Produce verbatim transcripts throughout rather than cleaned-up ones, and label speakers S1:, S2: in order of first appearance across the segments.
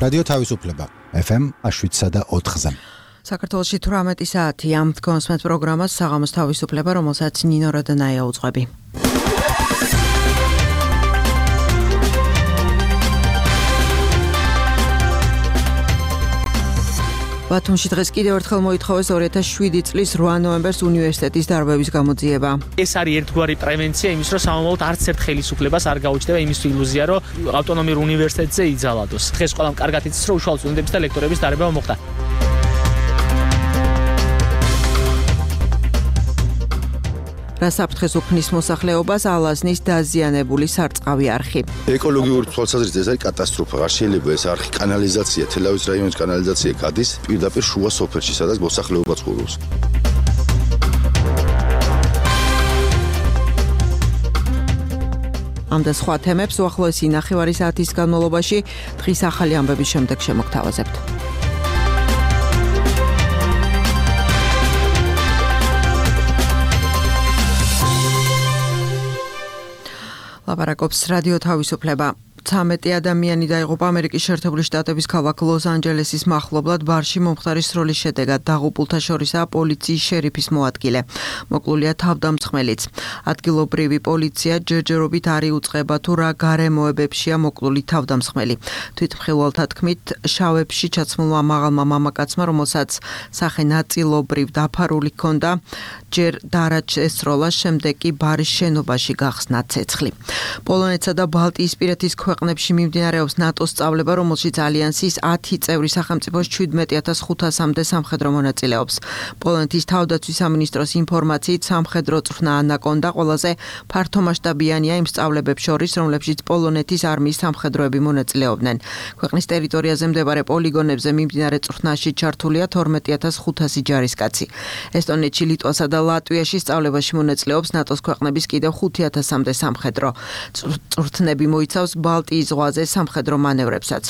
S1: რადიო თავისუფლება ეფ ემ შვიდსა და ოთხზე.
S2: საქართველოში თვრამეტი საათია. თქვენს პროგრამას საღამოს თავისუფლება, რომელსაც ნინო როდანაია უძღვები. ბათუმში დღეს კიდევ ერთხელ მოითხოვეს ორი ათას შვიდი წლის რვა ნოემბერს უნივერსიტეტის დარბების გამოძიება.
S3: ეს არის ერთგვარი პრევენცია იმის, რომ სამომავლოდ არც ერთ ხელისუფლებას არ გაუჩნდება იმის ილუზია, რომ ავტონომიურ უნივერსიტეტზე იძალადოს. დღეს ყველამ კარგად იცის, რომ უშუალო სტუდენტების და ლექტორების დარბება მოხდა.
S2: რა საფრთხეს უქმნის მოსახლეობას ალაზნის დაზიანებული სარწყავი არხი.
S4: ეკოლოგიური თვალსაზრისით ეს არის კატასტროფა. არ შეიძლება ეს არხი კანალიზაცია, თელავის რაიონის კანალიზაცია გადის პირდაპირ შუა სოფელში, სადაც მოსახლეობა ცხოვრობს.
S2: ამ და სხვა თემებს უახლოესი ნახევარი საათის განმავლობაში დღის ახალი ამბების შემდეგ შემოგთავაზებთ. ლაპარაკობს რადიო თავისუფლება. ცამეტი ადამიანი დაიღუპა ამერიკის შეერთებული შტატების ქალაქ ლოს-ანჯელესის მახლობლად ბარში მომხდარი სროლის შედეგად. დაღუპულთა შორისაა პოლიციის შერიფის მოადგილე. მოკლულია თავდამსხმელიც. ადგილობრივი პოლიცია ჯერჯერობით არ იუწყება თუ რა გარემოებებშია მოკლული თავდამსხმელი. თვითმხილველთა თქმით, შავებში ჩაცმულმა მაღალმა მამაკაცმა, რომელსაც სახე ნაწილობრივ დაფარული ჰქონდა, ჯერ დარაჯ ესროლა, შემდეგ კი ბარის შენობაში გახსნა ცეცხლი. პოლონეთსა და ბალტიისპირეთის ქვეყნებში მიმდინარეობს ნატოს სწავლება, რომელშიც ალიანსის ათი წევრი სახელმწიფოს შვიდმეტი ათას ხუთასამდე სამხედრო მონაწილეობს. პოლონეთის თავდაცვის სამინისტროს ინფორმაციით სამხედრო წვრთნა ანაკონდა ყველაზე ფართომასშტაბიანია იმ სწავლებებს შორის, რომლებშიც პოლონეთის არმიის სამხედროები მონაწილეობდნენ. ქვეყნის ტერიტორიაზე მდებარე პოლიგონებზე მიმდინარე წვრთნაში ჩართულია თორმეტი ათას ხუთასი ჯარისკაცი. ესტონეთში, ლიტვასა და ლატვიაში სწავლებაში მონაწილეობს ნატოს ქვეყნების კიდევ ხუთი ათასამდე სამხედრო. წვრთნები მოიცავს ბალტიის ზღვაზე სამხედრო მანევრებსაც.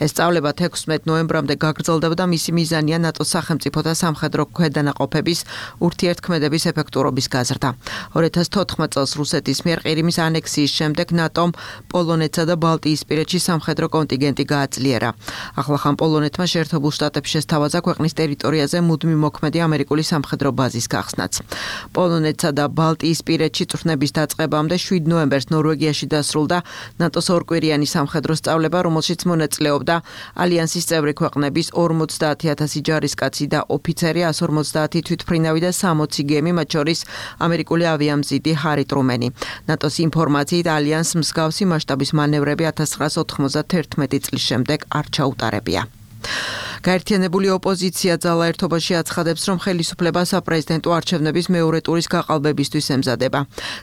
S2: ეს სწავლება ექვსმეტ ნოემბრამდე გაგრძელდება და მისი მიზანია ნატოს სახელმწიფოთა სამხედრო ქვედანაყოფების ურთიერთქმედების ეფექტურობის გაზრდა. ორი ათას თოთხმეტ წელს რუსეთის მიერ ყირიმის ანექსიის შემდეგ ნატომ პოლონეთსა და ბალტიისპირეთში სამხედრო კონტინგენტი გააძლიერა. ახლახან პოლონეთმა შეერთებულ შტატებში შესთავაზა ქვეყნის ტერიტორიაზე მუდმივ მოქმედი ამერიკული სამხედრო ბაზის გახსნაც. პოლონეთსა და ბალტიისპირეთში წვრთნების დაწყებამდე შვიდ ნოემბერს ნორვეგიაში დასრულდა ნატოს ორკვირიანი სამხედრო სწავლება, რომელშიც მონაწილეობდა ალიანსის წევრი ქვეყნების ორმოცდაათი ათასი ჯარისკაცი და ოფიცერი, ასი ორმოცდაათი თვითმფრინავი და სამოცი გემი, მათ შორის ამერიკული ავიამზიდი ჰარი ტრუმენი. ნატოს ინფორმაციით ალიანსს მსგავსი მასშტაბის მანევრები ათას ცხრაას ოთხმოცდათერთმეტი წლის შემდეგ არ ჩაუტარებია. გაერთიანებული ოპოზიცია ძალა ერთობაში აცხადებს, რომ ხელისუფლება საპრეზიდენტო არჩევნების მეორე ტურის გაყალბებისთვის ემზადება.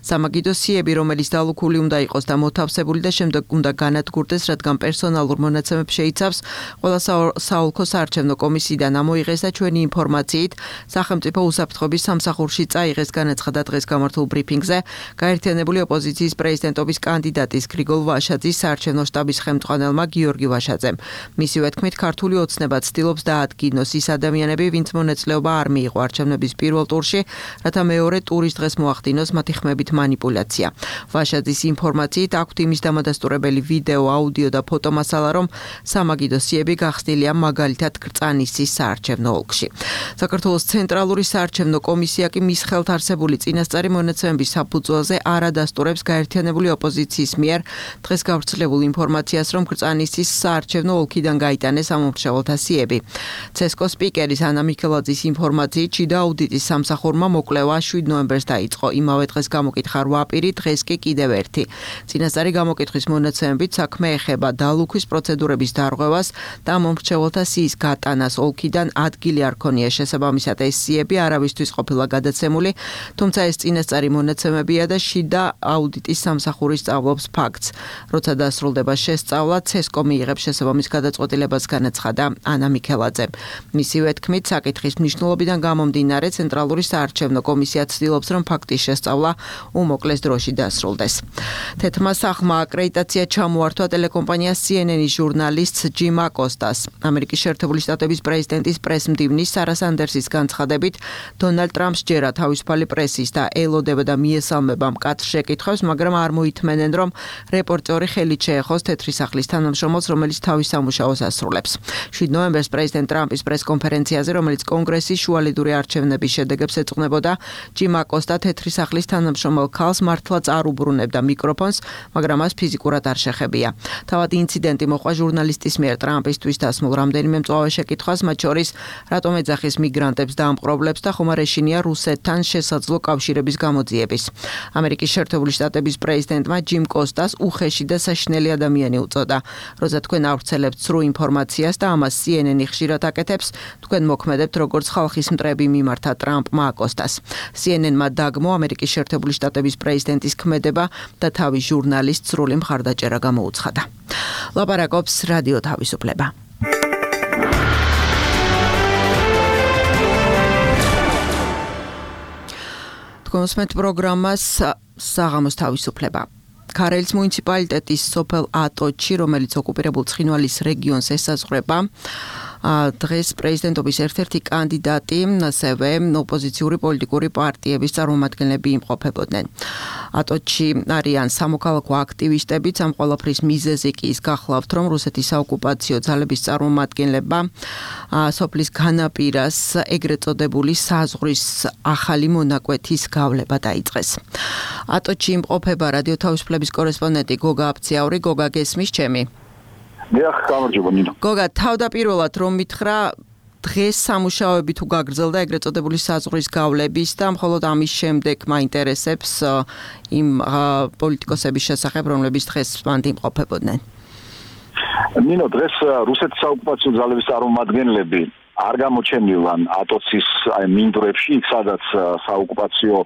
S2: სამაგიდო სიები, რომელიც დალუქული უნდა იყოს და მოთავსებული და შემდეგ უნდა განადგურდეს, რადგან პერსონალურ მონაცემებს შეიცავს, ყველა საოლქო საარჩევნო კომისიიდან ამოიღეს და ჩვენი ინფორმაციით სახელმწიფო უსაფრთხოების სამსახურში წაიღეს, განაცხადა დღეს გამართულ ბრიფინგზე გაერთიანებული ოპოზიციის პრეზიდენტობის კანდიდატის გრიგოლ ვაშაძის საარჩევნო შტაბის ხელმძღვანელმა გიორგი ვაშაძემ. მისივე თქმით, ქართული ოცნებაც ცდილობს დაადგინოს ის ადამიანები, ვინც მონაწილეობა არ მიიღო არჩევნების პირველ ტურში, რათა მეორე ტურის დღეს მოახდინოს მათი ხმებით მანიპულაცია. ვაშაძის ინფორმაციით აქვთ იმის დამადასტურებელი ვიდეო, აუდიო და ფოტომასალა, რომ სამაგიდო სიები გახსნილია მაგალითად კრწანისის საარჩევნო ოლქში. საქართველოს ცენტრალური საარჩევნო კომისია კი მის ხელთ არსებული წინასწარი მონაცემების საფუძველზე არ ადასტურებს გაერთიანებული ოპოზიციის მიერ დღეს გავრცელებულ ინფორმაციას, რომ კრწანისის საარჩევნო ოლქიდან გაიტანეს ამომრჩეველთა სიები. ცესკოს სპიკერის ანა მიქელაძის ინფორმაციით შიდა აუდიტის სამსახურმა მოკვლევა შვიდ ნოემბერს დაიწყო. იმავე დღეს გამოკითხა რვა პირი, დღეს კი კიდევ ერთი. წინასწარი გამოკითხვის მონაცემებით საქმე ეხება დალუქვის პროცედურების დარღვევას და მომრჩეველთა სიის გატანას ოლქიდან ადგილი არ ქონია შესაბამისად ეს სიები არავისთვის ყოფილა გადაცემული, თუმცა ეს წინასწარი მონაცემებია და შიდა აუდიტის სამსახური სწავლობს ფაქტს. როცა დასრულდება შესწავლა, ცესკო მიიღებს შესაბამის გადაწყვეტილებას, განაცხადა ანა ანა მიქელაძე. მისივე თქმით, საკითხის მნიშვნელობიდან გამომდინარე, ცენტრალური საარჩევნო კომისია ცდილობს, რომ ფაქტის შესწავლა უმოკლეს დროში დასრულდეს. თეთრმა სახლმა აკრედიტაცია ჩამოართვა ტელეკომპანია C N N-ის ჟურნალისტს ჯიმ აკოსტას. ამერიკის შეერთებული შტატების პრეზიდენტის პრესმდივნის სარა სანდერსის განცხადებით, დონალდ ტრამპს ჯერა თავისუფალი პრესის და ელოდება და მიესალმება მკაცრ შეკითხვებს, მაგრამ არ მოითმენენ, რომ რეპორტერი ხელით შეეხოს თეთრი სახლის თანამშრომელს, რომელიც თავის სამუშაოს ასრულებს. შვიდ ნოემბერს პრეზიდენტ ტრამპის პრესკონფერენციაზე, რომელიც კონგრესის შუალედური არჩევნების შედეგებს ეძღვნებოდა, ჯიმ აკოსტა თეთრი სახლის თანამშრომელ ქალს მართლაც არ უბრუნებდა მიკროფონს, მაგრამ მას ფიზიკურად არ შეხებია. თავად ინციდენტი მოყვა ჟურნალისტის მიერ ტრამპისთვის დასმულ რამდენიმე მწვავე შეკითხვას, მათ შორის რატომ ეძახის მიგრანტებს და ამპყრობლებს და ხომ არ ეშინია რუსეთთან შესაძლო კავშირების გამოძიების. ამერიკის შეერთებული შტატების პრეზიდენტმა ჯიმ კოსტას უხეში და საშინელი ადამიანი უწოდა. როცა თქვენ ავრცელებთ სრულ ინფორმაციას და ამას C N N-ი ხშირად აკეთებს, თქვენ მოქმედებთ როგორც ხალხის მტრები მიმართა ტრამპმა აკოსტას. C N N-მა დაგმო ამერიკის შეერთებული შტატების პრეზიდენტის ქმედება და თავის ჟურნალისტს სრული მხარდაჭერა გამოუცხადა. ლაპარაკობს რადიო თავისუფლება. კონსმეთ პროგრამას საღამოს თავისუფლება. ქარელის მუნიციპალიტეტის სოფელ ატოჩი, რომელიც ოკუპირებულ ცხინვალის რეგიონს ესაზღვრება, დღეს პრეზიდენტობის ერთ-ერთი კანდიდატი, ასევე ოპოზიციური პოლიტიკური პარტიების წარმომადგენლები იმყოფებოდნენ. ატოჩი არიან სამოქალაქო აქტივისტებიც, ამ ყველაფრის მიზეზი კი ის გახლავთ, რომ რუსეთის საოკუპაციო ძალების წარმომადგენლებმა სოფლის განაპირას ეგრეთ წოდებული საზღვრის ახალი მონაკვეთის გავლება დაიწყეს. ატოჩი იმყოფება რადიო თავისუფლების კორესპონდენტი გოგა აფციაური. გოგა, გესმის ჩემი?
S5: დიახ, გამარჯობა ნინო.
S2: გოგა, თავდაპირველად რომ მითხრა, დღეს სამუშაოები თუ გაგრძელდა ეგრეთ წოდებული საზღვრის გავლების და მხოლოდ ამის შემდეგ მაინტერესებს იმ პოლიტიკოსების შესახებ, რომლებიც დღეს მანდ იმყოფებოდნენ.
S5: ნინო, დღეს რუსეთის საოკუპაციო ძალების წარმომადგენლები არ გამოჩენილან ატოცის მინდვრებში, სადაც საოკუპაციო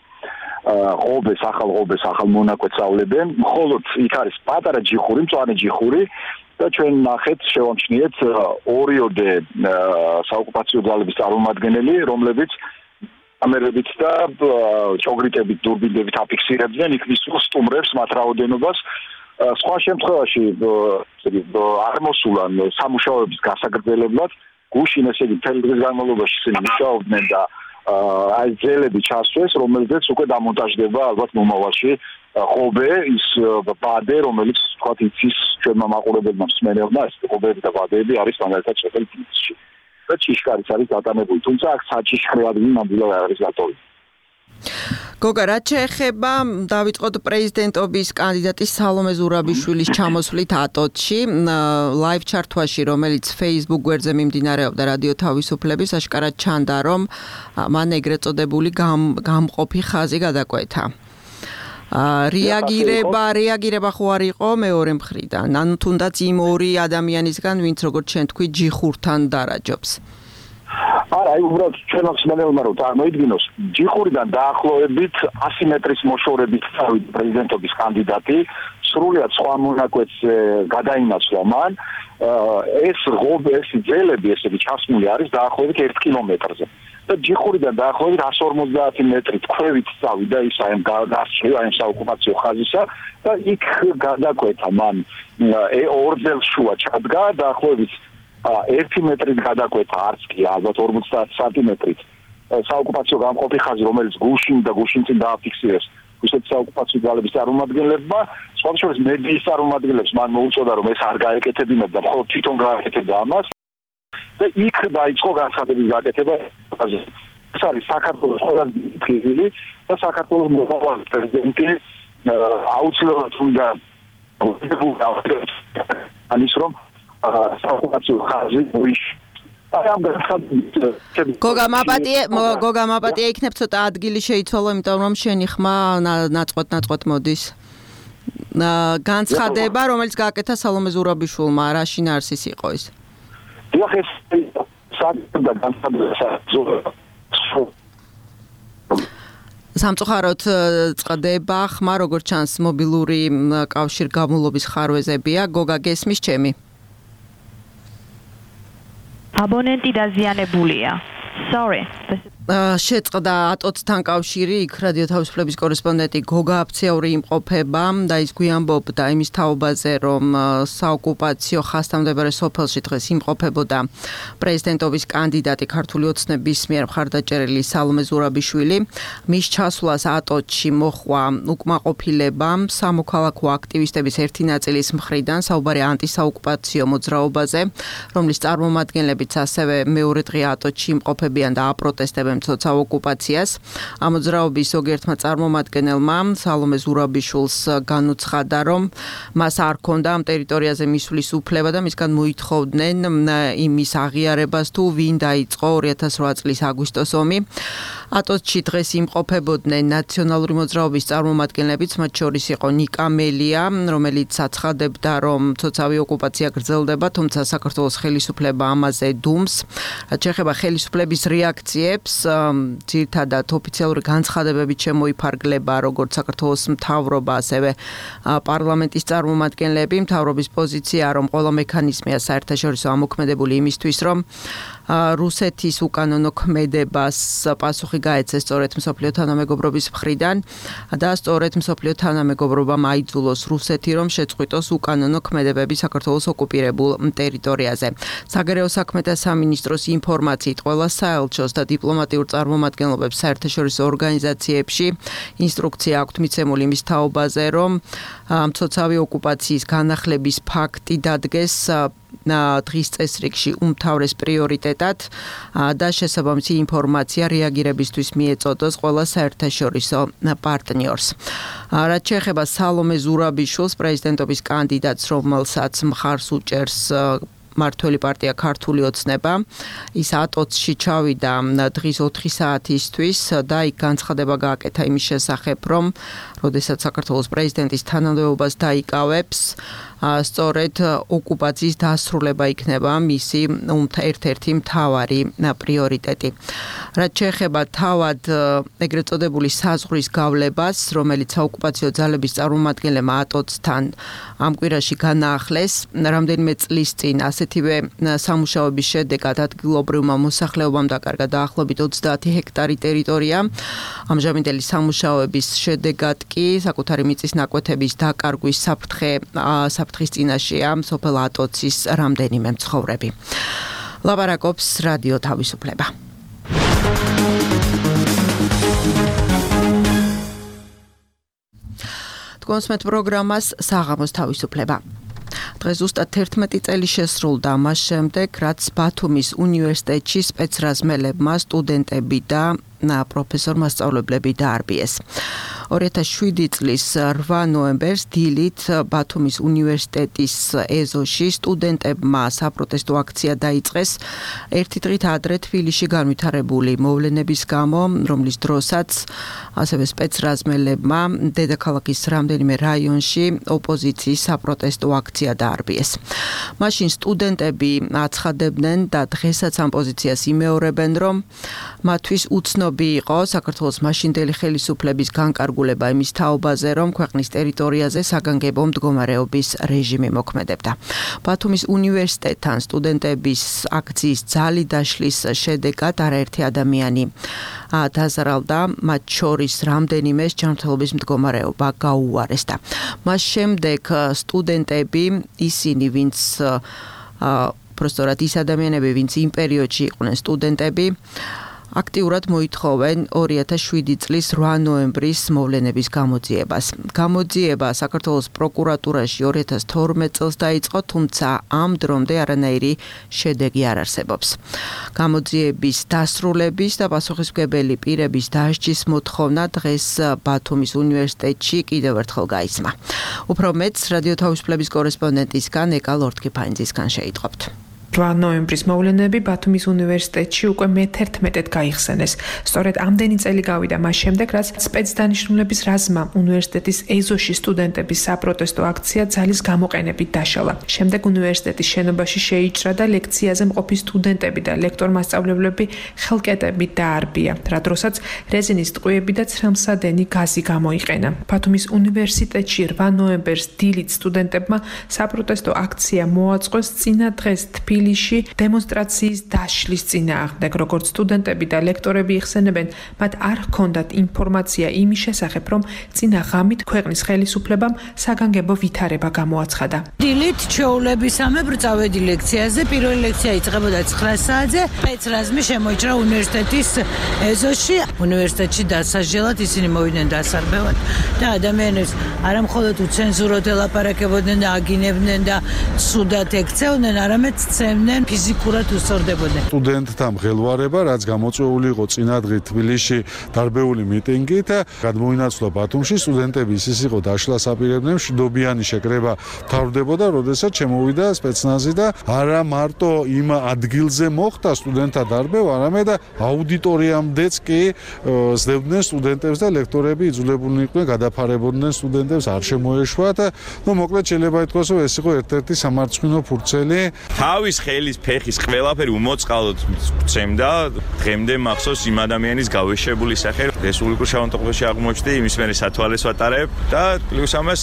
S5: ღობეს, ახალ ღობეს, ახალ მონაკვეთს ავლებენ, მხოლოდ იქ არის პატარა ჯიხური, მწვანე ჯიხური და ჩვენ ნახეთ, შევამჩნიეთ ორიოდე საოკუპაციო ძალების წარმომადგენელი, რომლებიც კამერებით და ჭოგრიტებით, დურბინებით აფიქსირებდნენ იქ მისულ სტუმრებს, მათ რაოდენობას. სხვა შემთხვევაში არ მოსულან სამუშაოების გასაგრძელებლად, გუშინ ესე იგი მთელი დღის განმავლობაში ისინი მუშაობდნენ და აი ძელები ჩასვეს, რომელზეც უკვე დამონტაჟდება ალბათ მომავალში ღობე, ის ბადე, რომელიც თქვათ იცის ჩვენმა მაყურებელმა მსმენელმა, ეს ღობეები და ბადეები არის მაგალითად სოფელ თბილისში. და ჭიშკარიც არის დატანებული, თუმცა აქ საჭიშკრე ადგილი ნამდვილად არ არის დატოვებული.
S2: გოგა, რაც შეეხება დავიწყოთ პრეზიდენტობის კანდიდატის სალომე ზურაბიშვილის ჩამოსვლით ატოჩში, ლაივ ჩართვაში, რომელიც Facebook გვერდზე მიმდინარეობდა რადიო თავისუფლების, აშკარად ჩანდა, რომ მან ეგრეთ წოდებული გამყოფი ხაზი გადაკვეთა. რეაგირება, რეაგირება ხო არ იყო მეორე მხრიდან, ანუ თუნდაც იმ ორი ადამიანისგან, ვინც როგორც ჩვენ თქვი, ჯიხურთან დარაჯობს.
S5: არა, აი უბრალოდ ჩვენ მსმენელმა რომ წარმოიდგინოს, ჯიხურიდან დაახლოებით ასი მეტრის მოშორებით წავიდა პრეზიდენტობის კანდიდატი, სრულიად სხვა მონაკვეთს გადაინაცვლა მან. ეს ღობე, ეს ძელები, ესე იგი ჩასმული არის დაახლოებით ერთ კილომეტრზე. და ჯიხურიდან დაახლოებით εκατს ორმოცდაათი მეტრი ქვევით წავიდა ის აი გასწრება აი საოკუპაციო ხაზისა და იქ გადაკვეთა მან ორ შუა ჩადგა დაახლოებით ერთი მეტრით გადაკვეთა არც კი ალბათ ორმოცდაათი სანტიმეტრით საოკუპაციო გამყოფი ხაზი, რომელიც გუშინ და გუშინ წინ დააფიქსირეს რუსეთის საოკუპაციო ძალების წარმომადგენლებმა, სხვათა შორის მედიის წარმომადგენლებს მან მოუწოდა, რომ ეს არ გაეკეთებინათ და მხოლოდ თვითონ გააკეთებდა ამას. და იქ დაიწყო განცხადების გაკეთება. ეს არის საქართველოს ყველაზე დიდი და საქართველოს მომავალი პრეზიდენტი აუცილებლად უნდა ანის რომ საოკუპაციო ხაზი მოიშ.
S2: გოგა მაპატიე, გოგა მაპატიე იქნებ ცოტა ადგილი შეიცვალო, იმიტომ რომ შენი ხმა ნაწყვეტ-ნაწყვეტ მოდის. განცხადება, რომელიც გააკეთა სალომე ზურაბიშვილმა, რა შინაარსის იყო ის?
S5: დიახ, ეს საერთოდ განცხადება
S2: სამწუხაროდ წყდება ხმა, როგორც ჩანს, მობილური კავშირგაბმულობის ხარვეზებია. გოგა, გესმის ჩემი?
S6: აბონენტი დაზიანებულია. Sorry.
S2: შეწყდა ატოცთან კავშირი, იქ რადიო თავისუფლების კორესპონდენტი გოგა აფციაური იმყოფება და ის გვიანბობდა იმის თაობაზე, რომ საოკუპაციო ხასთამდებარე სოფელში დღეს იმყოფებოდა პრეზიდენტობის კანდიდატი ქართული ოცნების მიერ მხარდაჭერილი სალომე ზურაბიშვილი. მის ჩასვლას ატოცში მოჰყვა უკმაყოფილება სამოქალაქო აქტივისტების ერთი ნაწილის მხრიდან, საუბარი ანტისაოკუპაციო მოძრაობაზე, რომლის წარმომადგენლებიც ასევე მეორე დღე ატოცში იმყოფებიან და აპროტესტებენ თოცა ოკუპაციას. ამ მოძრაობის ზოგიერთმა წარმომადგენელმა სალომე ზურაბიშვილს განუცხადა, რომ მას არ ჰქონდა ამ ტერიტორიაზე მისვლის უფლება და მისგან მოითხოვდნენ იმის აღიარებას, თუ ვინ დაიწყო ორი ათას რვა წლის აგვისტოს ომი. ატოცში დღეს იმყოფებოდნენ ნაციონალური მოძრაობის წარმომადგენლებიც, მათ შორის იყო ნიკა მელია, რომელიც აცხადებდა, რომ ცოცავი ოკუპაცია გრძელდება, თუმცა საქართველოს ხელისუფლება ამაზე დუმს. რაც შეეხება ხელისუფლების რეაქციებს, ძირითადად ოფიციალური განცხადებებით შემოიფარგლება როგორც საქართველოს მთავრობა, ასევე პარლამენტის წარმომადგენლები. მთავრობის პოზიცია, რომ ყველა მექანიზმია საერთაშორისო ამოქმედებული იმისთვის, რომ რუსეთის უკანონო ქმედებას პასუხი გაეცეს სწორედ მსოფლიო თანამეგობრობის მხრიდან და სწორედ მსოფლიო თანამეგობრობამ აიძულოს რუსეთი, რომ შეწყვიტოს უკანონო ქმედებები საქართველოს ოკუპირებულ ტერიტორიაზე. საგარეო საქმეთა სამინისტროს ინფორმაციით ყველა საელჩოს და დიპლომატიურ წარმომადგენლობებს საერთაშორისო ორგანიზაციებში ინსტრუქცია აქვთ მიცემული იმის თაობაზე, რომ მცოცავი ოკუპაციის განახლების ფაქტი დადგეს დღის წესრიგში უმთავრეს პრიორიტეტად და შესაბამისი ინფორმაცია რეაგირებისთვის მიეწოდოს ყველა საერთაშორისო პარტნიორს. რაც შეეხება სალომე ზურაბიშვილს, პრეზიდენტობის კანდიდატს, რომელსაც მხარს უჭერს მართველი პარტია ქართული ოცნება, ის ატოცში ჩავიდა დღის ოთხი საათისთვის და იქ განცხადება გააკეთა იმის შესახებ, რომ როდესაც საქართველოს პრეზიდენტის თანამდებობას დაიკავებს, სწორედ ოკუპაციის დასრულება იქნება მისი ერთ-ერთი მთავარი პრიორიტეტი. რაც შეეხება თავად ეგრეთ წოდებული საზღვრის გავლებას, რომელიც საოკუპაციო ძალების წარმომადგენლებმა ატოცთან ამ კვირაში განაახლეს, რამდენიმე წლის წინ ასეთივე სამუშაოების შედეგად ადგილობრივმა მოსახლეობამ დაკარგა დაახლოებით ოცდაათი ჰექტარი ტერიტორია. ამჟამინდელი სამუშაოების შედეგად კი საკუთარი მიწის ნაკვეთების დაკარგვის საფრთხე საფრთხის წინაშეა სოფელ ატოცის რამდენიმე მცხოვრები. ლაპარაკობს რადიო თავისუფლება. თქვენს პროგრამას საღამოს თავისუფლება. დღეს ზუსტად თერთმეტი წელი შესრულდა მას შემდეგ, რაც ბათუმის უნივერსიტეტში სპეცრაზმელებმა სტუდენტები და პროფესორ მასწავლებლები დაარბიეს. ორი ათას შვიდი წლის რვა ნოემბერს დილით ბათუმის უნივერსიტეტის ეზოში სტუდენტებმა საპროტესტო აქცია დაიწყეს ერთი დღით ადრე თბილისში განვითარებული მოვლენების გამო, რომლის დროსაც ასევე სპეცრაზმელებმა დედაქალაქის რამდენიმე რაიონში ოპოზიციის საპროტესტო აქცია დაარბიეს. მაშინ სტუდენტები აცხადებდნენ და დღესაც ამ პოზიციას იმეორებენ, რომ მათთვის უცნობი იყო საქართველოს მაშინდელი ხელისუფლების განკარგულება იმის თაობაზე, რომ ქვეყნის ტერიტორიაზე საგანგებო მდგომარეობის რეჟიმი მოქმედებდა. ბათუმის უნივერსიტეტთან სტუდენტების აქციის ძალი დაშლის შედეგად არაერთი ადამიანი დაზარალდა, მათ შორის რამდენიმეს ჯანმრთელობის მდგომარეობა გაუარესდა. მას შემდეგ სტუდენტები, ისინი, ვინც პროსტორად ის ადამიანები, ვინც იმ პერიოდში იყვნენ სტუდენტები, აქტიურად მოითხოვენ ორი ათას შვიდი წლის რვა ნოემბრის მოვლენების გამოძიებას. გამოძიება საქართველოს პროკურატურაში ორი ათას თორმეტ წელს დაიწყო, თუმცა ამ დრომდე არანაირი შედეგი არ არსებობს. გამოძიების დასრულების და პასუხისმგებელი პირების დასჯის მოთხოვნა დღეს ბათუმის უნივერსიტეტში კიდევ ერთხელ გაისმა. უფრო მეტს რადიო თავისუფლების კორესპონდენტისგან ეკა ლორთქიფანიძისგან შეიტყობთ.
S7: რვა ნოემბრის მოვლენები ბათუმის უნივერსიტეტში უკვე მეთერთმეტედ გაიხსენეს. სწორედ ამდენი წელი გავიდა მას შემდეგ, რაც სპეცდანიშნულების რაზმმა უნივერსიტეტის ეზოში სტუდენტების საპროტესტო აქცია ძალის გამოყენებით დაშალა. შემდეგ უნივერსიტეტის შენობაში შეიჭრა და ლექციაზე მყოფი სტუდენტები და ლექტორ-მასწავლებლები ხელკეტებით დაარბია, რა დროსაც რეზინის ტყვიები და ცრემლსადენი გაზი გამოიყენა. ბათუმის უნივერსიტეტში რვა ნოემბერს დილით სტუდენტებმა საპროტესტო აქცია მოაწყოს წინა დღეს თბილისში თბილისში დემონსტრაციის დაშლის წინააღმდეგ, როგორც სტუდენტები და ლექტორები იხსენებენ, მათ არ ჰქონდათ ინფორმაცია იმის შესახებ, რომ წინა ღამით ქვეყნის ხელისუფლებამ საგანგებო ვითარება გამოაცხადა.
S8: დილით ჩვეულებისამებრ წავედი ლექციაზე, პირველი ლექცია იწყებოდა ცხრა საათზე, სპეცრაზმი შემოიჭრა უნივერსიტეტის ეზოში. უნივერსიტეტში დასაჯელად ისინი მოვიდნენ დასარბევად და ადამიანებს არა მხოლოდ უცენზუროდ ელაპარაკებოდნენ და აგინებდნენ და სუდად ექცეოდნენ, არამედ ცემდნენ ფიზიკურად უსწორდებოდნენ.
S9: სტუდენტთა მღელვარება, რაც გამოწვეული იყო წინადღე თბილისში დარბეული მიტინგით, გადმოინაცვლა ბათუმში, სტუდენტების ის იყო დაშლას აპირებდნენ, მშვიდობიანი შეკრება თავდებოდა, როდესაც შემოვიდა სპეცნაზი და არა მარტო იმ ადგილზე მოხდა სტუდენტთა დარბევა, არამედ აუდიტორიამდეც კი სდებდნენ სტუდენტებს და ლექტორები იძულებულნი იყვნენ გადაფარებოდნენ სტუდენტებს, არ შემოეშვათ. ნუ მოკლედ შეიძლება ითქვას, რომ ეს იყო ერთ-ერთი სამარცხვინო ფურცელი.
S10: თავის ხელის ფეხის ყველაფერი უმოწყალოდ წემდა, დღემდე მახსოვს იმ ადამიანის გავეშებული სახე რესპუბლიკურ შავანტოყებში აღმოჩნდა, იმის მერე სათვალეს ვატარებ და პლუს ამას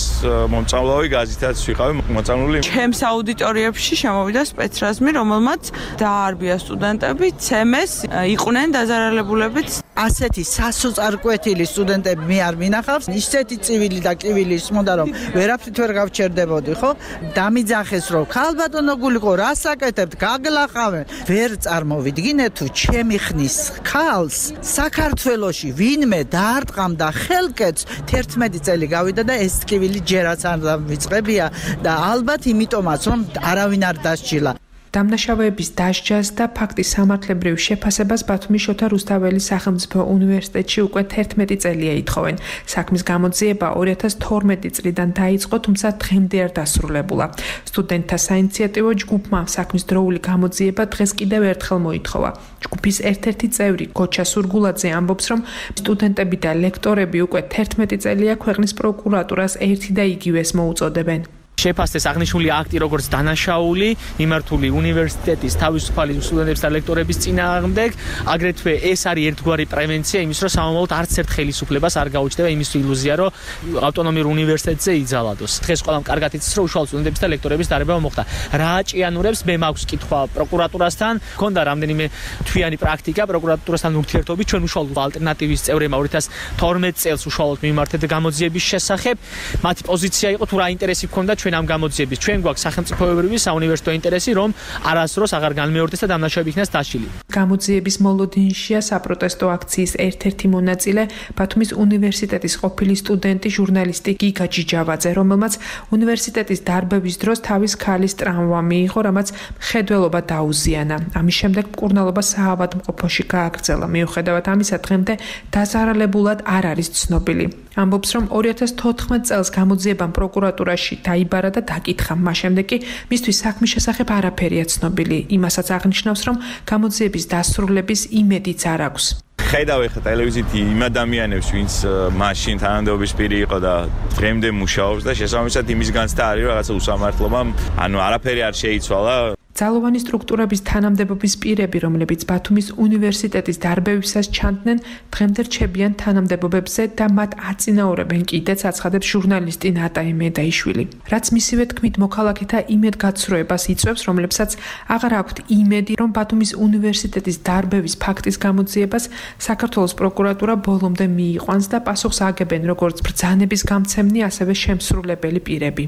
S10: მომწავლავი გაზითაც ვიყავი მოწამლული.
S11: ჩემს აუდიტორიებში შემოვიდა სპეცრაზმი, რომელმაც დაარბია სტუდენტები, ცემეს, იყვნენ დაზარალებულებით.
S12: ასეთი სასოწარკვეთილი სტუდენტები მე არ მინახავს, ისეთი წივილი და კივილი ისმოდა, რომ ვერაფრით ვერ გავჩერდებოდი, ხო? დამიძახეს, რომ ქალბატონო გულიყო, რა საკეთებთ, გაგლახავენ. ვერ წარმოვიდგინე თუ ჩემი ხნის ქალს საქართველოში ვინმე დაარტყამდა ხელკეთს, თერთმეტი წელი გავიდა და ეს ტკივილი ჯერაც არ დავიწყებია და ალბათ იმიტომაც, რომ არავინ არ დასჯილა.
S7: დამნაშავეების დასჯას და ფაქტის სამართლებრივ შეფასებას ბათუმის შოთა რუსთაველის სახელმწიფო უნივერსიტეტში უკვე თერთმეტი წელია ითხოვენ. საქმის გამოძიება ორი ათას თორმეტი წლიდან დაიწყო, თუმცა დღემდე არ დასრულებულა. სტუდენტთა საინიციატივო ჯგუფმა საქმის დროული გამოძიება დღეს კიდევ ერთხელ მოითხოვა. ჯგუფის ერთ-ერთი წევრი გოჩა სურგულაძე ამბობს, რომ სტუდენტები და ლექტორები უკვე თერთმეტი წელია ქვეყნის პროკურატურას ერთი და იგივეს მოუწოდებენ.
S3: შეფასდეს აღნიშნული აქტი როგორც დანაშაული, მიმართული უნივერსიტეტის თავისუფალი სტუდენტების და ლექტორების წინააღმდეგ, აგრეთვე ეს არის ერთგვარი პრევენცია იმის, რომ სამომავლოდ არც ერთ ხელისუფლებას არ გაუჩნდება იმის ილუზია, რომ ავტონომიურ უნივერსიტეტზე იძალადოს. დღეს ყველამ კარგად იცის, რომ უშუალო სტუდენტების და ლექტორების დარბევა მოხდა. რა აჭიანურებს, მე მაქვს კითხვა პროკურატურასთან, მქონდა რამდენიმე თვიანი პრაქტიკა პროკურატურასთან ურთიერთობით, ჩვენ უშუალო ალტერნატივის წევრებმა ორი ათას თორმეტ წელს უშუალოდ მიმართეთ გამოძიების შესახებ. მათი პოზიცია იყო თუ რა ინტერესი ჰქონდა ჩვენ ამ გამოძიების. ჩვენ გვაქვს სახელმწიფოებრივი საუნივერსიტეტო ინტერესი, რომ არასდროს აღარ განმეორდეს და დამნაშავეები იქნას დაშლილი.
S7: გამოძიების მოლოდინშია საპროტესტო აქციის ერთ-ერთი მონაწილე ბათუმის უნივერსიტეტის ყოფილი სტუდენტი ჟურნალისტი გიგა ჯიჯავაძე, რომელმაც უნივერსიტეტის დარბევის დროს თავის ქალის ტრამვა მიიღო, რამაც მხედველობა დაუზიანა. ამის შემდეგ მკურნალობა საავადმყოფოში გააგრძელა. მიუხედავად ამისა, დღემდე დაზარალებულად არ არის ცნობილი. ამბობს, რომ ორი ათას თოთხმეტ წელს გამოძიებამ პროკურატურაში დაიბარა და დაკითხა. მას შემდეგ კი მისთვის საქმის შესახებ არაფერია ცნობილი. იმასაც აღნიშნავს, რომ გამოძიების დასრულების იმედიც არ აქვს.
S10: ხედავ ეხლა ტელევიზიით იმ ადამიანებს, ვინც მაშინ თანამდებობის პირი იყო და დღემდე მუშაობს და შესაბამისად იმისგანც და არის რაღაცა უსამართლობა, ანუ არაფერი არ შეიცვალა.
S7: ძალოვანი სტრუქტურების თანამდებობის პირები, რომლებიც ბათუმის უნივერსიტეტის დარბევისას ჩანდნენ, დღემდე რჩებიან თანამდებობებზე და მათ აწინაურებენ კიდეც, აცხადებს ჟურნალისტი ნატაი მედაიშვილი. რაც მისივე თქმით მოქალაქეთა იმედგაცრუებას იწვევს, რომლებსაც აღარ აქვთ იმედი, რომ ბათუმის უნივერსიტეტის დარბევის ფაქტის გამოძიებას საქართველოს პროკურატურა ბოლომდე მიიყვანს და პასუხს აგებენ როგორც ბრძანების გამცემნი, ასევე შემსრულებელი პირები.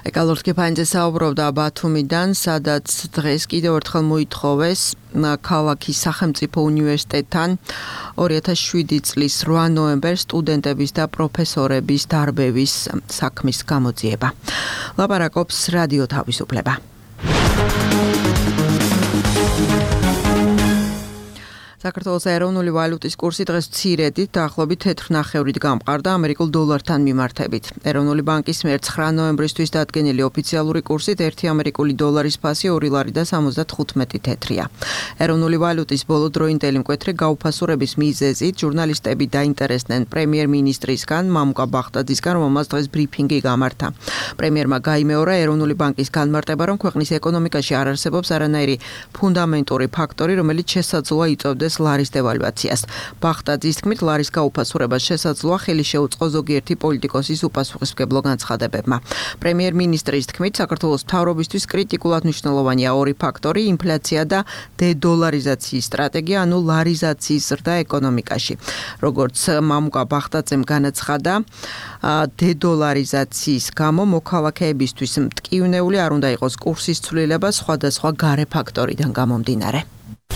S2: ეკალორთ კეფანიძე საუბრობდა ბათუმიდან, სადაც დღეს კიდევ ერთხელ მოითხოვეს ქალაქის სახელმწიფო უნივერსიტეტთან ორი ათას შვიდი წლის რვა ნოემბერს სტუდენტების და პროფესორების დარბევის საქმის გამოძიება. ლაპარაკობს რადიო თავისუფლება. საქართველოს ეროვნული ვალუტის კურსი დღეს მცირედით დაახლოებით თეთრნახევრით გამყარდა ამერიკულ დოლართან მიმართებით. ეროვნული ბანკის მიერ ცხრა ნოემბრისთვის დადგენილი ოფიციალური კურსით ერთი ამერიკული დოლარის ფასი ორი ლარი და სამოცდათხუთმეტი თეთრია. ეროვნული ვალუტის ბოლოდროინდელი მკვეთრი გაუფასურების მიზეზით ჟურნალისტები დაინტერესდნენ პრემიერ-მინისტრისგან მამუკა ბახტაძისგან, რომელმაც დღეს ბრიფინგი გამართა. პრემიერმა გაიმეორა ეროვნული ბანკის განმარტება, რომ ქვეყნის ეკონომიკაში არ არსებობს არანაირი ფუნდამენტური ფაქტორი, რომელიც შესაძლოა იწვევდეს გაუწეს ლარის დევალვაციას. ბახტაძის თქმით, ლარის გაუფასურებას შესაძლოა ხელი შეუწყო ზოგიერთი პოლიტიკოსის უპასუხისმგებლო განცხადებებმა. პრემიერ-მინისტრის თქმით, საქართველოს მთავრობისთვის კრიტიკულად მნიშვნელოვანია ორი ფაქტორი: ინფლაცია და დედოლარიზაციის სტრატეგია, ანუ ლარიზაციის ზრდა ეკონომიკაში. როგორც მამუკა ბახტაძემ განაცხადა, დედოლარიზაციის გამო მოქალაქეებისთვის მტკივნეული არ უნდა იყოს კურსის ცვლილება სხვადასხვა გარე ფაქტორიდან გამომდინარე.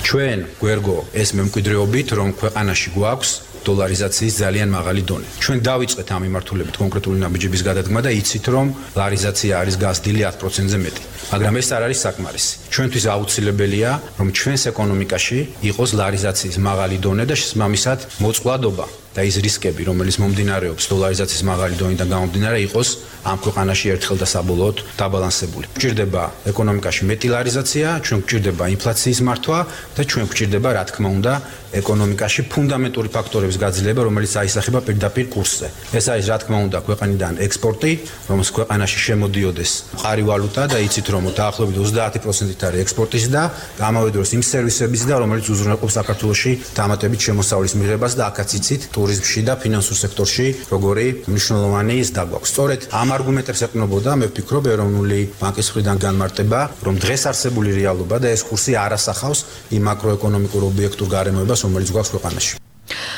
S13: ჩვენ გვერგო ეს მემკვიდრეობით, რომ ქვეყანაში გვაქვს დოლარიზაციის ძალიან მაღალი დონე. ჩვენ დავიწყეთ ამ მიმართულებით კონკრეტული ნაბიჯების გადადგმა და იცით, რომ ლარიზაცია არის გასდილი ათ პროცენტზე მეტი. მაგრამ ეს არ არის საკმარისი. ჩვენთვის აუცილებელია, რომ ჩვენს ეკონომიკაში იყოს ლარიზაციის მაღალი დონე და შესაბამისად მოწყვლადობა და ის რისკები, რომელიც მომდინარეობს დოლარიზაციის მაღალი დონიდან გამომდინარე, იყოს ამ ქვეყანაში ერთხელ და საბოლოოდ დაბალანსებული. გვჭირდება ეკონომიკაში მეტი ლარიზაცია, ჩვენ გვჭირდება ინფლაციის მართვა და ჩვენ გვჭირდება, რა თქმა უნდა, ეკონომიკაში ფუნდამენტური ფაქტორების გაძლიერება, რომელიც აისახება პირდაპირ კურსზე. ეს არის, რა თქმა უნდა, ქვეყანიდან ექსპორტი, რომელს ქვეყანაში შემოდიოდეს მყარი ვალუტა და იცით, რომ დაახლოებით ოცდაათი პროცენტით არის ექსპორტის და ამავე დროს იმ სერვისების და რომელიც უზრუნველყოფს საქართველოში დამატებით შემოსავლის მიღებას და აქაც იცით ტურიზმში და ფინანსურ სექტორში როგორი მნიშვნელოვანი ის დაგვაქვს. სწორედ ამ არგუმენტებს ეყნობოდა, მე ვფიქრობ, ეროვნული ბანკის მხრიდან განმარტება, რომ დღეს არსებული რეალობა და ეს კურსი არ ასახავს იმ მაკროეკონომიკურ ობიექტურ გარემოებას, რომელიც გვაქვს ქვეყანაში.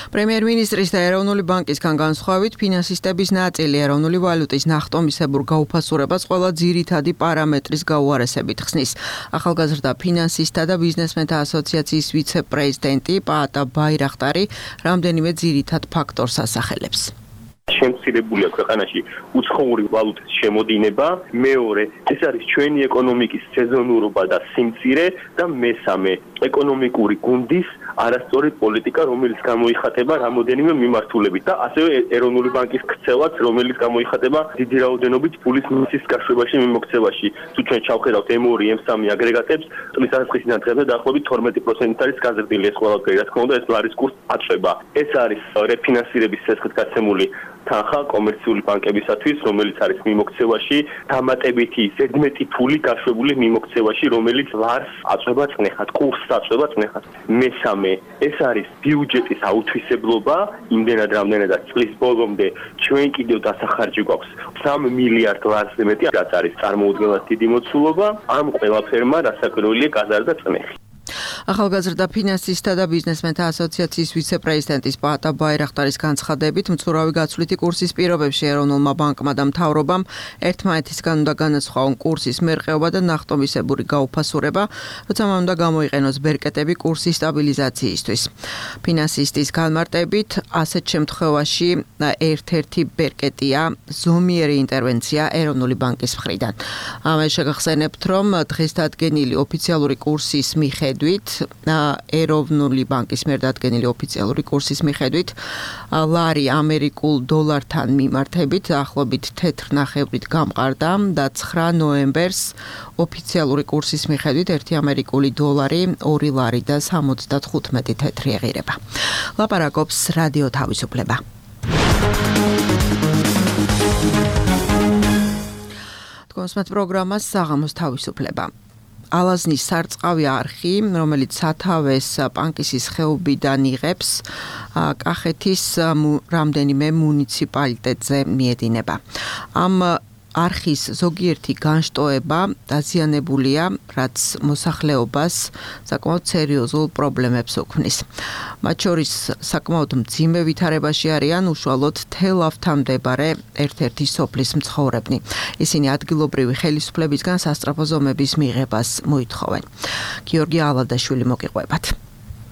S2: პრემიერ-მინისტრის და ეროვნული ბანკისგან განსხვავებით, ფინანსისტების ნაწილი ეროვნული ვალუტის ნახტომისებურ გაუფასურებას ყველა ძირითადი პარამეტრის გაუარესებით ხსნის. ახალგაზრდა ფინანსისტთა და ბიზნესმენთა ასოციაციის ვიცე-პრეზიდენტი პაატა ბაირახტარი რამდენიმე ძირითად ფაქტორს ასახელებს.
S14: შემცირებულია ქვეყანაში უცხოური ვალუტის შემოდინება, მეორე ეს არის ჩვენი ეკონომიკის სეზონურობა და სიმცირე და მესამე ეკონომიკური გუნდის არასწორი პოლიტიკა, რომელიც გამოიხატება რამოდენიმე მიმართულებით და ასევე ეროვნული ბანკის ქცევაც, რომელიც გამოიხატება დიდი რაოდენობით ფულის მისის გაშვებაში, მიმოქცევაში. თუ ჩვენ ჩავხედავთ ემ ორი, ემ სამი აგრეგატებს, წლის დასაწყისიდან დღემდე დაახლოებით თორმეტი პროცენტით არის გაზრდილი ეს ყველაფერი, რა თქმა უნდა, ეს ლარის კურსს აწვება. ეს არის რეფინანსირების ცეცხლით გაცემული თანხა კომერციული ბანკებისათვის, რომელიც არის მიმოქცევაში, დამატებითი ზედმეტი ფული გაშვებული მიმოქცევაში, რომელიც ლარს აწვება წნეხად, კურსს აწვება წნეხად. მესამე, ეს არის ბიუჯეტის აუთვისებლობა, იმდენად რამდენადაც წლის ბოლომდე ჩვენ კიდევ დასახარჯი გვაქვს სამ მილიარდ ლარზე მეტი, რაც არის წარმოუდგენლად დიდი მოცულობა, ამ ყველაფერმა რასაკვირველია გაზარდა წნეხი.
S2: ახალგაზრდა ფინანსისტთა და ბიზნესმენთა ასოციაციის ვიცე-პრეზიდენტის პაატა ბაირახტარის განცხადებით, მცურავი გაცვლითი კურსის პირობებში ეროვნულმა ბანკმა და მთავრობამ ერთმანეთისგან უნდა განასხვაონ კურსის მერყეობა და ნახტომისებური გაუფასურება, როცა მან უნდა გამოიყენოს ბერკეტები კურსის სტაბილიზაციისთვის. ფინანსისტის განმარტებით, ასეთ შემთხვევაში ერთ-ერთი ბერკეტია ზომიერი ინტერვენცია ეროვნული ბანკის მხრიდან. ამე შეგახსენებთ, რომ დღეს დადგენილი ოფიციალური კურსის მიხედვით ეროვნული ბანკის მიერ დადგენილი ოფიციალური კურსის მიხედვით ლარი ამერიკულ დოლართან მიმართებით ახლობით თეთრ ნახევრით გამყარდა და ცხრა ნოემბერს ოფიციალური კურსის მიხედვით ერთი ამერიკული დოლარი ორი ლარი და სამოცდათხუთმეტი თეთრი ეღირება. ლაპარაკობს რადიო თავისუფლება. თქვენს პროგრამას საღამოს თავისუფლება. ალაზნის სარწყავი არხი, რომელიც სათავეს პანკისის ხეობიდან იღებს, კახეთის რამდენიმე მუნიციპალიტეტზე მიედინება. ამ არხის ზოგიერთი განშტოება დაზიანებულია, რაც მოსახლეობას საკმაოდ სერიოზულ პრობლემებს უქმნის. მათ შორის საკმაოდ მძიმე ვითარებაში არიან უშუალოდ თელავთან მდებარე ერთ-ერთი სოფლის მცხოვრებნი. ისინი ადგილობრივი ხელისუფლებისგან სასწრაფო ზომების მიღებას მოითხოვენ. გიორგი ალადაშვილი მოგიყვებათ.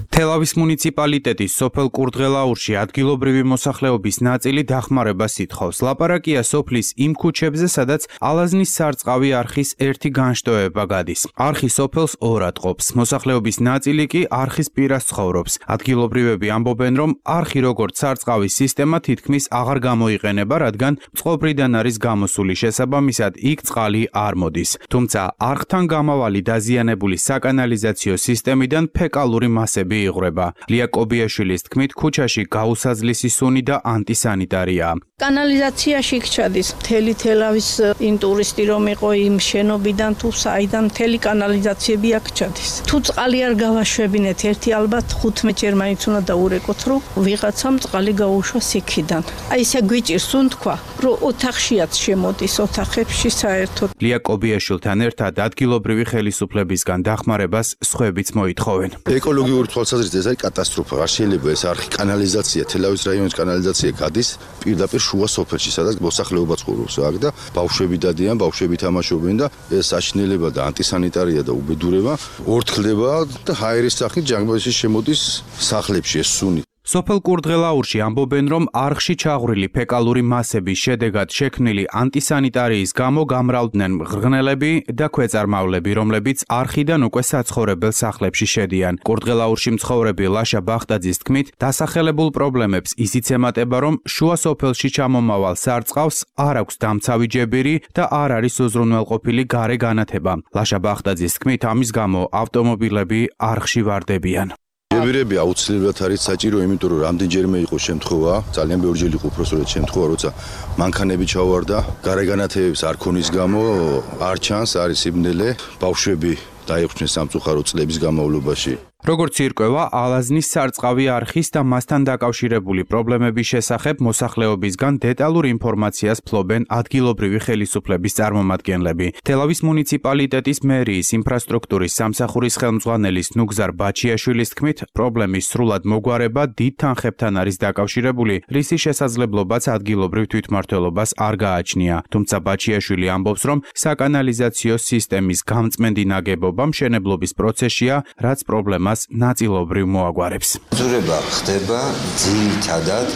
S15: თელავის მუნიციპალიტეტის სოფელ კურდღელაურში ადგილობრივი მოსახლეობის ნაწილი დახმარებას ითხოვს. ლაპარაკია სოფლის იმ ქუჩებზე, სადაც ალაზნის სარწყავი არხის ერთი განშტოება გადის. არხი სოფელს ორად ყოფს. მოსახლეობის ნაწილი კი არხის პირას ცხოვრობს. ადგილობრივები ამბობენ, რომ არხი როგორც სარწყავის სისტემა თითქმის აღარ გამოიყენება, რადგან წყობრიდან არის გამოსული, შესაბამისად იქ წყალი არ მოდის. თუმცა არხთან გამავალი დაზიანებული საკანალიზაციო სისტემიდან ფეკალური მასები იღვრება. ლია კობიაშვილის თქმით, ქუჩაში გაუსაზლისი სუნი და ანტისანიტარია.
S16: კანალიზაციაში ჩადის მთელი თელავის ინტურისტი რომ იყო იმ შენობიდან თუ საიდან მთელი კანალიზაციები აქ ჩადის. თუ წყალი არ გავაშვებინეთ ერთი ალბათ ხუთმეტ ჯერ მაინც უნდა დაურეკოთ რომ ვიღაცამ წყალი გაუშვას იქიდან. აი ესე გვიჭირს უთქვა რომ ოთახშიაც შემოდის ოთახებში საერთოდ.
S15: ლია კობიაშვილთან ერთად ადგილობრივი ხელისუფლებისგან დახმარებას სხვაებიც მოითხოვენ.
S4: ეკოლოგიური თვალსაზრისით ეს არის კატასტროფა. არ შეიძლება ეს არხი კანალიზაცია, თელავის რაიონის კანალიზაცია გადის პირდაპირ შუა სოფელში, სადაც მოსახლეობა ცხოვრობს აქ და ბავშვები დადიან, ბავშვები თამაშობენ და ეს საშინელება და ანტისანიტარია და უბედურება ორთქლდება და ჰაერის სახით ჯანგბადის შემოდის სახლებში ეს სუნი.
S15: სოფელ კურდღელაურში ამბობენ, რომ არხში ჩაღვრილი ფეკალური მასების შედეგად შექმნილი ანტისანიტარიის გამო გამრავლდნენ მღრღნელები და ქვეწარმავლები, რომლებიც არხიდან უკვე საცხოვრებელ სახლებში შედიან. კურდღელაურში მცხოვრები ლაშა ბახტაძის თქმით, დასახელებულ პრობლემებს ისიც ემატება, რომ შუა სოფელში ჩამომავალ სარწყავს არ აქვს დამცავი ჯებირი და არ არის უზრუნველყოფილი გარე განათება. ლაშა ბახტაძის თქმით, ამის გამო ავტომობილები არხში ვარდებიან.
S4: ჯებირები აუცილებლად არის საჭირო, იმიტომ რომ რამდენჯერმე იყო შემთხვევა, ძალიან ბევრჯერ იყო უბრალოდ შემთხვევა, როცა მანქანები ჩავარდა, გარეგანათებებს არ ქონის გამო არ ჩანს, არის სიბნელე, ბავშვები დაიხსნეს სამწუხარო წლების განმავლობაში.
S15: როგორც ირკვევა, ალაზნის სარწყავი არხის და მასთან დაკავშირებული პრობლემების შესახებ მოსახლეობისგან დეტალურ ინფორმაციას ფლობენ ადგილობრივი ხელისუფლების წარმომადგენლები. თელავის მუნიციპალიტეტის მერიის ინფრასტრუქტურის სამსახურის ხელმძღვანელის ნუგზარ ბაჩიაშვილის თქმით, პრობლემის სრულად მოგვარება დიდ თანხებთან არის დაკავშირებული, რისი შესაძლებლობაც ადგილობრივ თვითმმართველობას არ გააჩნია. თუმცა ბაჩიაშვილი ამბობს, რომ საკანალიზაციო სისტემის გამწმენდი ნაგებობა მშენებლობის პროცესშია, რაც პრობლემას ნაწილობრივ მოაგვარებს.
S17: ძურება ხდება ძირითადად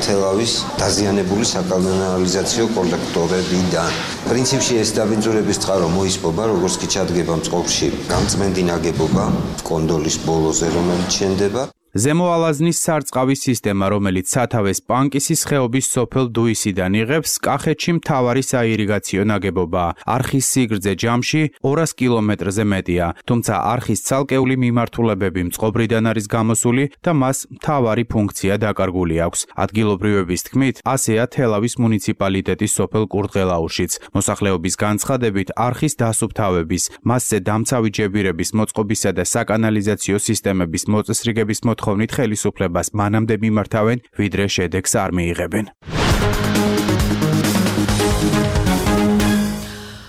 S17: თელავის დაზიანებული საკანალიზაციო კოლექტორებიდან. პრინციპში ეს დაბინძურების წყარო მოისპობა, როგორც კი ჩადგება მწყობრში გამწმენდი ნაგებობა კონდოლის ბოლოზე, რომელიც შენდება.
S15: ზემო ალაზნის სარწყავის სისტემა, რომელიც სათავეს პანკისის ხეობის სოფელ დუისიდან იღებს, კახეთში მთავარი საირიგაციო ნაგებობაა. არხის სიგრძე ჯამში ორას კილომეტრზე მეტია, თუმცა არხის ცალკეული მიმართულებები მწყობრიდან არის გამოსული და მას მთავარი ფუნქცია დაკარგული აქვს. ადგილობრივების თქმით, ასეა თელავის მუნიციპალიტეტის სოფელ კურდღელაურშიც. მოსახლეობის განცხადებით, არხის დასუფთავების, მასზე დამცავი ჯებირების მოწყობისა და საკანალიზაციო სისტემების მოწესრიგების მოთხოვნით ხელისუფლებას მანამდე მიმართავენ, ვიდრე შედეგს არ მიიღებენ.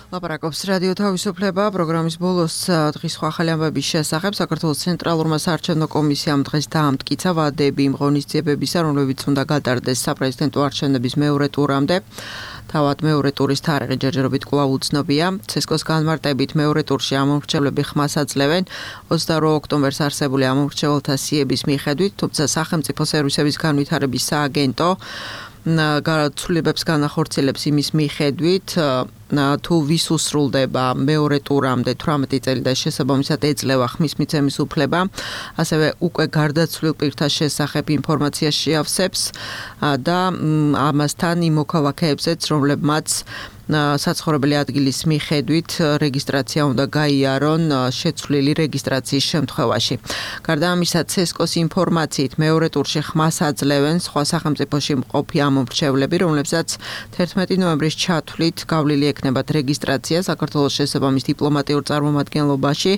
S2: ლაპარაკობს რადიო თავისუფლება პროგრამის ბოლოს დღის სხვა ახალი ამბების შესახებ. საქართველოს ცენტრალურმა საარჩევნო კომისიამ დღეს დაამტკიცა ვადები იმ ღონისძიებებისა, რომლებიც უნდა გატარდეს საპრეზიდენტო არჩევნების მეორე ტურამდე. თავად მეორე ტურის თარიღი ჯერჯერობით კვლავ უცნობია. ცესკოს განმარტებით მეორე ტურში ამომრჩევლები ხმას აძლევენ ოცდაორ ოქტომბერს არსებული ამომრჩეველთა სიების მიხედვით, თუმცა სახელმწიფო სერვისების განვითარების სააგენტო გარაცვლილებებს განახორციელებს იმის მიხედვით, თუ ვის უსრულდება მეორე ტურამდე თვრამეტი წელი და შესაბამისად ეძლევა ხმის მიცემის უფლება, ასევე უკვე გარდაცვლილ პირთა შესახებ ინფორმაცია შეავსებს და ამასთან იმ მოქალაქეებზეც, რომლებმაც საცხოვრებელი ადგილის მიხედვით რეგისტრაცია უნდა გაიარონ შეცვლილი რეგისტრაციის შემთხვევაში. გარდა ამისა, ცესკოს ინფორმაციით მეორე ტურში ხმას აძლევენ სხვა სახელმწიფოში მყოფი ამომრჩევლები, რომლებსაც თერთმეტი ნოემბრის ჩათვლით გავლილი ექნებათ რეგისტრაცია საქართველოს შესაბამის დიპლომატიურ წარმომადგენლობაში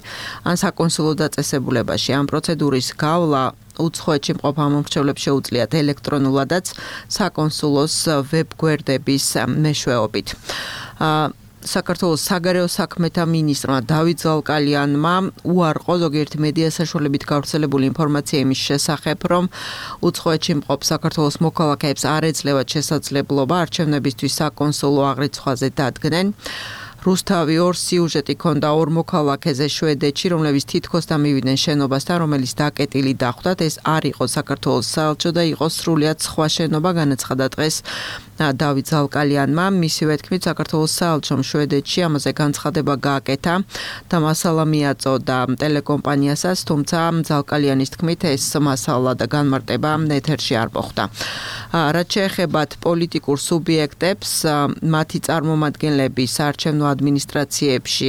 S2: ან საკონსულო დაწესებულებაში. ამ პროცედურის გავლა უცხოეთში მყოფ ამომრჩევლებს შეუძლიათ ელექტრონულადაც საკონსულოს ვებგვერდების მეშვეობით. საქართველოს საგარეო საქმეთა მინისტრმა დავით ზალკალიანმა უარყო ზოგიერთი მედია საშუალებით გავრცელებული ინფორმაცია იმის შესახებ, რომ უცხოეთში მყოფ საქართველოს მოქალაქეებს არ ეძლევათ შესაძლებლობა არჩევნებისთვის საკონსულო აღრიცხვაზე დადგნენ. რუსთავი ორ სიუჟეტი ქონდა ორ მოქალაქეზე შვედეთში, რომლებიც თითქოს დამივიდნენ შენობასთან, რომელიც დაკეტილი დახვდათ. ეს არ იყო საქართველოს საელჩო და იყო სრულიად სხვა შენობა, განაცხადა დღეს დავით ზალკალიანმა. მისივე თქმით, საქართველოს საელჩომ შვედეთში ამაზე განცხადება გააკეთა და მასალა მიაწოდა ტელეკომპანიასაც, თუმცა ზალკალიანის თქმით, ეს მასალა და განმარტება ეთერში არ მოხვდა. რაც შეეხებათ პოლიტიკურ სუბიექტებს, მათი წარმომადგენლები საარჩევნო ადმინისტრაციებში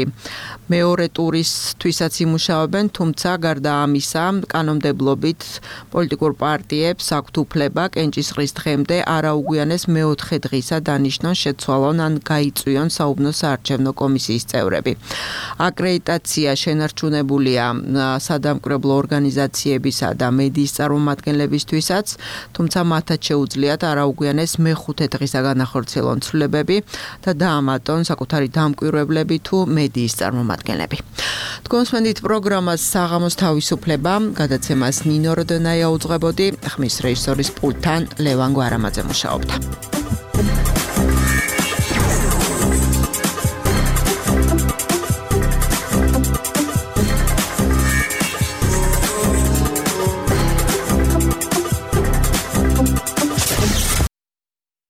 S2: მეორე ტურისთვისაც იმუშავებენ, თუმცა გარდა ამისა, კანონმდებლობით პოლიტიკურ პარტიებს აქვთ უფლება კენჭისყრის დღემდე არაუგვიანეს მეოთხე დღისა დანიშნონ, შეცვალონ ან გაიწვიონ საუბნო საარჩევნო კომისიის წევრები. აკრედიტაცია შენარჩუნებულია სადამკვირვებლო ორგანიზაციებისა და მედიის წარმომადგენლებისთვისაც, თუმცა მათაც შეუძლიათ არაუგვიანეს მეხუთე დღისა განახორციელონ ცვლილებები და დაამატონ საკუთარი დამკვირვებლები თუ მედიის წარმომადგენლები. თქვენსმენდით პროგრამას საღამოს თავისუფლება, გადაცემას ნინო როდონაია უძღვებოდი, ხმის რეჟისორის პულტთან ლევან გვარამაძე მუშაობდა.